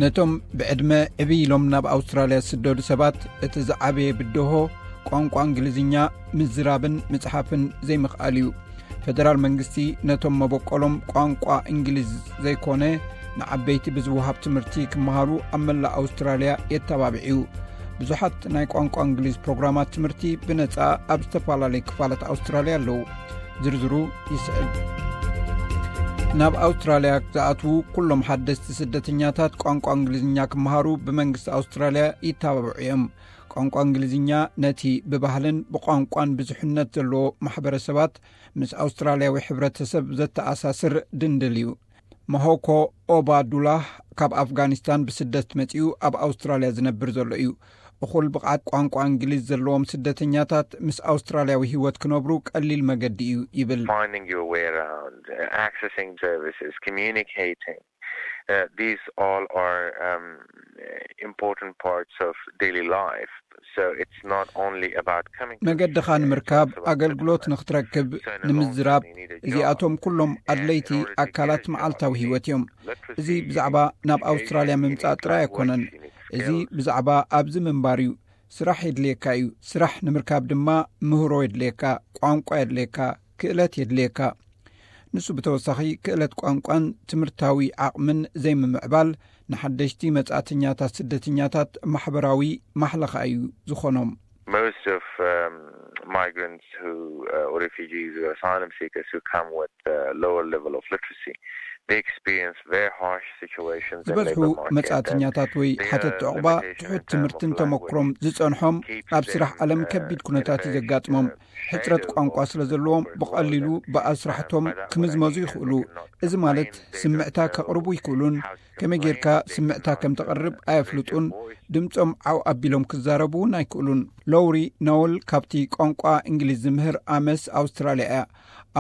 ነቶም ብዕድመ ዕብይ ኢሎም ናብ ኣውስትራልያ ዝስደዱ ሰባት እቲ ዝዓበየ ብድሆ ቋንቋ እንግሊዝኛ ምዝራብን ምጽሓፍን ዘይምኽኣል እዩ። ፌደራል መንግስቲ ነቶም መበቆሎም ቋንቋ እንግሊዝ ዘይኮነ ንዓበይቲ ብዝወሃብ ትምህርቲ ክመሃሩ ኣብ መላእ ኣውስትራልያ የተባብዕ እዩ። ብዙሓት ናይ ቋንቋ እንግሊዝ ፕሮግራማት ትምህርቲ ብነጻ ኣብ ዝተፈላለዩ ክፋላት ኣውስትራልያ ኣለዉ። ዝርዝሩ ይስዕብ። ናብ ኣውስትራልያ ዝኣትዉ ኩሎም ሓደስቲ ስደተኛታት ቋንቋ እንግሊዝኛ ክመሃሩ ብመንግስቲ ኣውስትራልያ ይተባብዑ እዮም። ቋንቋ እንግሊዝኛ ነቲ ብባህልን ብቋንቋን ብዙሕነት ዘለዎ ማሕበረሰባት ምስ ኣውስትራልያዊ ሕብረተሰብ ዘተኣሳስር ድንድል እዩ። መሆኮ ኦባዱላህ ካብ ኣፍጋኒስታን ብስደት መጺኡ ኣብ ኣውስትራልያ ዝነብር ዘሎ እዩ። እኹል ብቕዓት ቋንቋ እንግሊዝ ዘለዎም ስደተኛታት ምስ ኣውስትራልያዊ ህይወት ክነብሩ ቀሊል መገዲ እዩ ይብል። Finding your way around, uh, accessing services, communicating. Uh, these all are um, important parts of daily life. So it's not only about coming to መገድኻ Australia, ንምርካብ it's also about ኣገልግሎት settlement. ንክትረክብ So in the long ንምዝራብ term, you need a job. እዚኣቶም ኩሎም And in ኣድለይቲ order to get ኣካላት a job, መዓልታዊ you need ህይወት እዮም። literacy, እዚ you need ብዛዕባ ናብ communication, ኣውስትራልያ you need ምምጻእ ጥራይ language, ኣይኮነን። you need እዚ skills. ብዛዕባ ኣብዚ ምንባር እዩ። ስራሕ የድልየካ እዩ። ስራሕ ንምርካብ ድማ ምህሮ የድልየካ፣ ቋንቋ የድልየካ፣ ክእለት የድልየካ። ንሱ ብተወሳኺ ክእለት ቋንቋን ትምህርታዊ ዓቕምን ዘይምምዕባል ንሓደሽቲ መጻእተኛታት ስደተኛታት ማሕበራዊ ማሕለኻ እዩ ዝኾኖም። Most of um, migrants who uh, or refugees or asylum seekers who come with a lower level of literacy, they experience very harsh situations in ዝበዝሑ labor market. መጻእተኛታት ወይ ሓተቲ ዕቑባ ትሑት ትምህርትን ተመክሮም ዝጸንሖም ኣብ ስራሕ ዓለም ከቢድ ኩነታት እዩ ዘጋጥሞም። ሕጽረት ቋንቋ ስለ ዘለዎም ብቐሊሉ ብኣስራሕቶም ክምዝመዙ ይኽእሉ። እዚ ማለት ስምዕታ ከቕርቡ ይኽእሉን ከመይ ጌርካ ስምዕታ ከም ተቕርብ ኣየፍልጡን። ድምጾም ዓው ኣቢሎም ክዛረቡ እውን ኣይክእሉን። ሎውሪ ኖወል ካብቲ ቋንቋ እንግሊዝ ዝምህር ኣመስ ኣውስትራልያ እያ።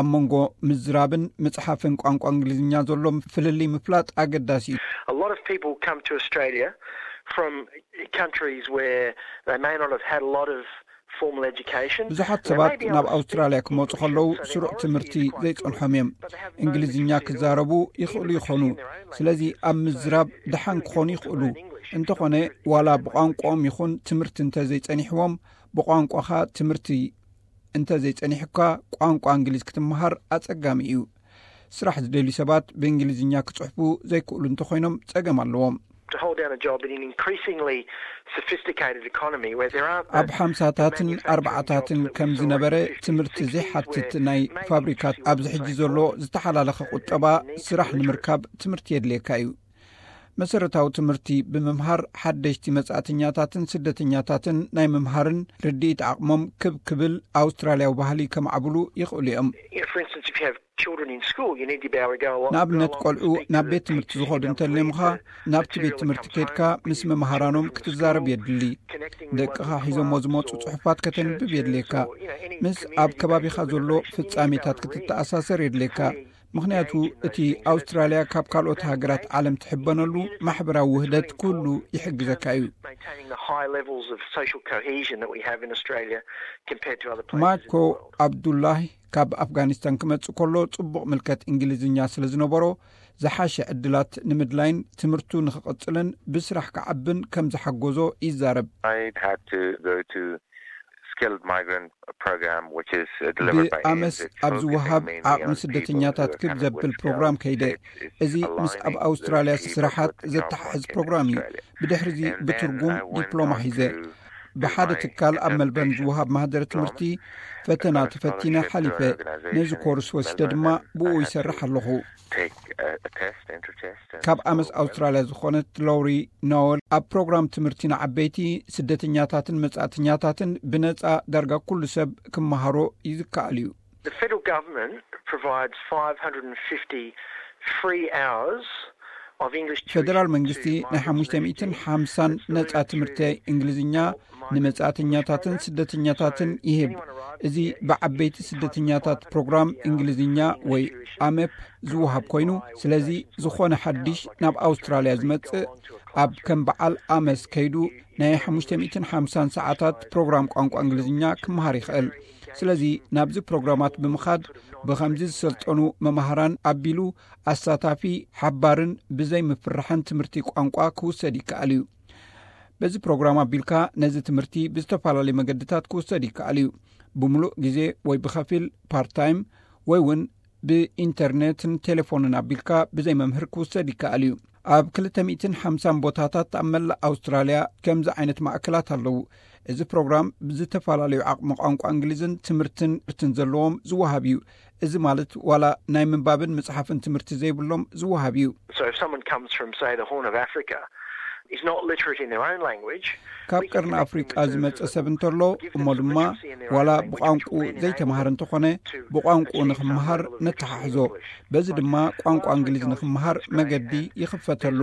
ኣብ መንጎ ምዝራብን ምጽሓፍን ቋንቋ እንግሊዝኛ ዘሎ ፍልልይ ምፍላጥ ኣገዳሲ እዩ። A lot of people come to Australia from countries where they may not have had a lot of formal education. ብዙሓት ሰባት ናብ ኣውስትራልያ ክመጹ ከለዉ ስሩዕ ትምህርቲ ዘይጸንሖም እዮም። እንግሊዝኛ ክዛረቡ ይኽእሉ ይኾኑ። ስለዚ ኣብ ምዝራብ ደሓን ክኾኑ ይኽእሉ። እንተኾነ ዋላ ብቋንቋኦም ይኹን ትምህርቲ እንተ ዘይጸኒሕዎም ብቋንቋኻ ትምህርቲ እንተ ዘይጸኒሕካ ቋንቋ እንግሊዝ ክትመሃር ኣጸጋሚ እዩ። ስራሕ ዝደልዩ ሰባት ብእንግሊዝኛ ክጽሕፉ ዘይክእሉ እንተኾይኖም ጸገም ኣለዎም። To hold down a job in an increasingly sophisticated economy where there aren't ኣብ ሓምሳታትን ኣርባዓታትን ከም ዝነበረ ትምህርቲ ዘይሓትት ናይ ፋብሪካት ኣብዚ ሕጂ ዘሎ ዝተሓላለኸ ቁጠባ ስራሕ ንምርካብ ትምህርቲ የድልየካ እዩ። መሰረታዊ ትምህርቲ ብምምሃር ሓደሽቲ መጻእተኛታትን ስደተኛታትን ናይ ምምሃርን ርድኢት ዓቕሞም ክብ ክብል ኣውስትራልያዊ ባህሊ ከማዕብሉ ይኽእሉ እዮም። You know, for instance, if you have children in school, you need to be able to go along. ንኣብነት ቆልዑ ናብ ቤት ትምህርቲ ዝኸዱ እንተልዮምኻ ናብቲ ቤት ትምህርቲ ከድካ ምስ መምሃራኖም ክትዛረብ የድሊ። ደቅኻ ሒዞሞ ዝመፁ ጽሑፋት ከተንብብ የድልየካ። ምስ ኣብ ከባቢኻ ዘሎ ፍጻሜታት ክትተኣሳሰር የድልየካ። ምኽንያቱ እቲ ኣውስትራልያ ካብ ካልኦት ሃገራት ዓለም ትሕበነሉ ማሕበራዊ ውህደት ኩሉ ይሕግዘካ እዩ። Maintaining the high levels of social cohesion that we have in Australia compared to other places in ማኮ the world. ኣብዱላሂ ካብ ኣፍጋኒስታን ክመጽእ ከሎ ጽቡቕ ምልከት እንግሊዝኛ ስለ ዝነበሮ ዝሓሸ ዕድላት ንምድላይን ትምህርቱ ንኽቕጽልን ብስራሕ ክዓብን ከም ዝሓጎዞ ይዛረብ። I had to go to skilled migrant program, which is uh, delivered by ብኣመስ ኣብ ዝወሃብ ዓቕሚ ስደተኛታት ክብ ዘብል ፕሮግራም ከይደ። እዚ ምስ ኣብ ኣውስትራልያ ስራሓት ዘተሓሕዝ ፕሮግራም እዩ። ብድሕሪዚ ብትርጉም ዲፕሎማ ሒዘ ብሓደ ትካል ኣብ መልበርን ዝወሃብ ማህደረ ትምህርቲ ፈተና ተፈቲነ ሓሊፈ። ነዚ ኮርስ ወሲደ ድማ ብኡ ይሰርሕ ኣለኹ። ካብ ኣመስ ኣውስትራልያ ዝኾነት ሎሪ ኖወል ኣብ ፕሮግራም ትምህርቲ ንዓበይቲ ስደተኛታትን መጻእተኛታትን ብነጻ ዳርጋ ኩሉ ሰብ ክመሃሮ ይዝከኣል እዩ። The federal government provides five hundred and fifty free hours of English tuition ፌደራል መንግስቲ ናይ ሓሙሽተ ሚእትን ሓምሳን ነጻ ትምህርቲ እንግሊዝኛ ንመጻእተኛታትን ስደተኛታትን ይህብ። እዚ ብዓበይቲ ስደተኛታት ፕሮግራም እንግሊዝኛ ወይ ኣመፕ ዝወሃብ ኮይኑ፣ ስለዚ ዝኾነ ሓድሽ ናብ ኣውስትራልያ ዝመጽእ ኣብ ከም በዓል ኣመስ ከይዱ ናይ ሓሙሽተ ሚእትን ሓምሳን ሰዓታት ፕሮግራም ቋንቋ እንግሊዝኛ ክመሃር ይኽእል። ስለዚ ናብዚ ፕሮግራማት ብምኻድ ብኸምዚ ዝሰልጠኑ መማህራን ኣቢሉ ኣሳታፊ፣ ሓባርን ብዘይ ምፍርሕን ትምህርቲ ቋንቋ ክውሰድ ይከኣል እዩ። በዚ ፕሮግራም ኣቢልካ ነዚ ትምህርቲ ብዝተፈላለዩ መገድታት ክውሰድ ይከኣል እዩ። ብምሉእ ግዜ ወይ ብኸፊል፣ ፓርታይም፣ ወይ እውን ብኢንተርኔትን ቴሌፎንን ኣቢልካ ብዘይ መምህር ክውሰድ ይከኣል እዩ። ኣብ ክልተ ሚእትን ሓምሳን ቦታታት ኣብ መላእ ኣውስትራልያ ከምዚ ዓይነት ማእከላት ኣለዉ። እዚ ፕሮግራም ብዝተፈላለዩ ዓቕሚ ቋንቋ እንግሊዝን ትምህርትን ትምህርትን ዘለዎም ዝወሃብ እዩ። እዚ ማለት ዋላ ናይ ምንባብን ምጽሓፍን ትምህርቲ ዘይብሎም ዝወሃብ እዩ። So if someone comes from, say, the Horn of Africa, is not literate in their own language, ካብ ቀርኒ ኣፍሪቃ ዝመጸ ሰብ እንተሎ እሞ ድማ ዋላ ብቋንቁ ዘይተማሃረ እንተኾነ ብቋንቁ ንኽመሃር ነተሓሕዞ። በዚ ድማ ቋንቋ እንግሊዝ ንኽመሃር መገዲ ይኽፈተሉ።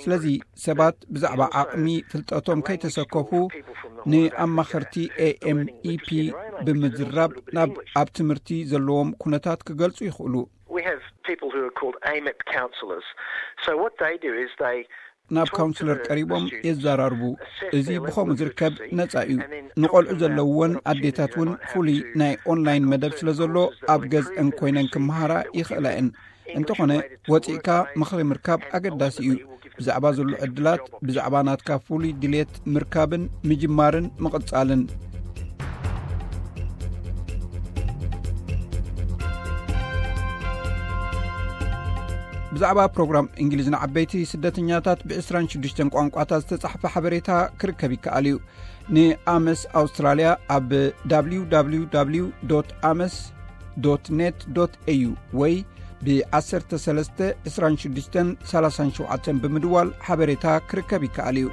ስለዚ ሰባት ብዛዕባ ዓቕሚ ፍልጠቶም ከይተሰከፉ ንኣማኸርቲ ኤኤምኢፒ ብምዝራብ ናብ ኣብ ትምህርቲ ዘለዎም ኩነታት ክገልጹ ይኽእሉ። We have people who are called AMEP counsellors. So what they do is they ናብ ካውንስለር ቀሪቦም የዘራርቡ። እዚ ብኸምኡ ዝርከብ ነጻ እዩ። ንቆልዑ ዘለውወን ኣዴታት እውን ፍሉይ ናይ ኦንላይን መደብ ስለ ዘሎ ኣብ ገዝአን ኮይነን ክመሃራ ይኽእላ እየን። እንተኾነ ወፂእካ ምኽሪ ምርካብ ኣገዳሲ እዩ። ብዛዕባ ዘሎ ዕድላት፣ ብዛዕባ ናትካ ፍሉይ ድሌት ምርካብን ምጅማርን ምቕጻልን። ብዛዕባ ፕሮግራም እንግሊዝ ንዓበይቲ ስደተኛታት ብ ዕስራን ሽዱሽተን ቋንቋታት ዝተጻሕፈ ሓበሬታ ክርከብ ይከኣል እዩ። ንኣመስ ኣውስትራልያ ኣብ www ames net au ወይ ብ13 26 37 ብምድዋል ሓበሬታ ክርከብ ይከኣል እዩ።